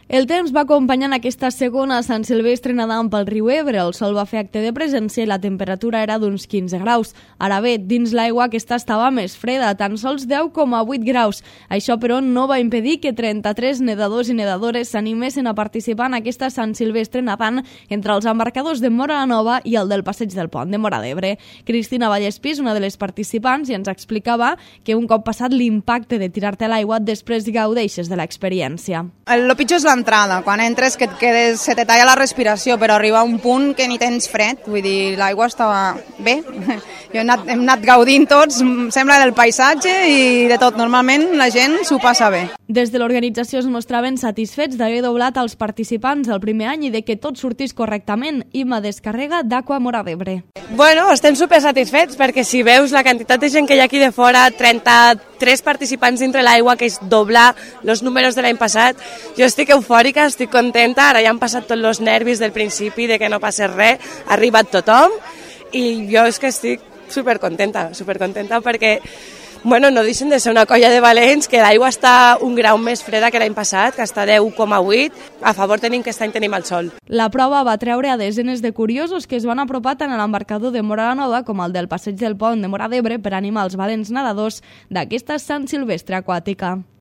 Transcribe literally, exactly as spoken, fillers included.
El temps va acompanyant aquesta segona Sant Silvestre nedant pel riu Ebre. El sol va fer acte de presència i la temperatura era d'uns quinze graus. Ara bé, dins l'aigua aquesta estava més freda, tan sols deu coma vuit graus. Això, però, no va impedir que trenta-tres nedadors i nedadores s'animessin a participar en aquesta Sant Silvestre nedant entre els embarcadors de Móra la Nova i el del Passeig del Pont de Móra d'Ebre. Cristina Vallespís, una de les participants, i ens explicava que un cop passat l'impacte de tirar-te a l'aigua, després gaudeixes de l'experiència. El pitjor és l'entrada, quan entres que et quedes, se te talla la respiració, però arriba un punt que ni tens fred, vull dir, l'aigua estava bé. Jo he anat, hem anat gaudint tots, sembla del paisatge i de tot. Normalment la gent s'ho passa bé. Des de l'organització es mostraven satisfets d'haver doblat els participants el primer any i de que tot sortís correctament. Imma Descarrega, d'Aqua Móra d'Ebre. Bueno, estem super satisfets perquè si veus la quantitat de gent que hi ha aquí de fora, trenta-tres participants dintre l'aigua, que és doblar els números de l'any passat, jo estic eufòrica, estic contenta, ara ja han passat tots els nervis del principi de que no passés res, ha arribat tothom i jo és que estic supercontenta, supercontenta perquè bueno, no deixen de ser una colla de valents, que l'aigua està un grau més freda que l'any passat, que està deu coma vuit. A favor tenim que aquest any tenim el sol. La prova va treure a desenes de curiosos que es van apropar tant a l'embarcador de Móra la Nova com al del Passeig del Pont de Móra d'Ebre per animar els valents nedadors d'aquesta Sant Silvestre aquàtica.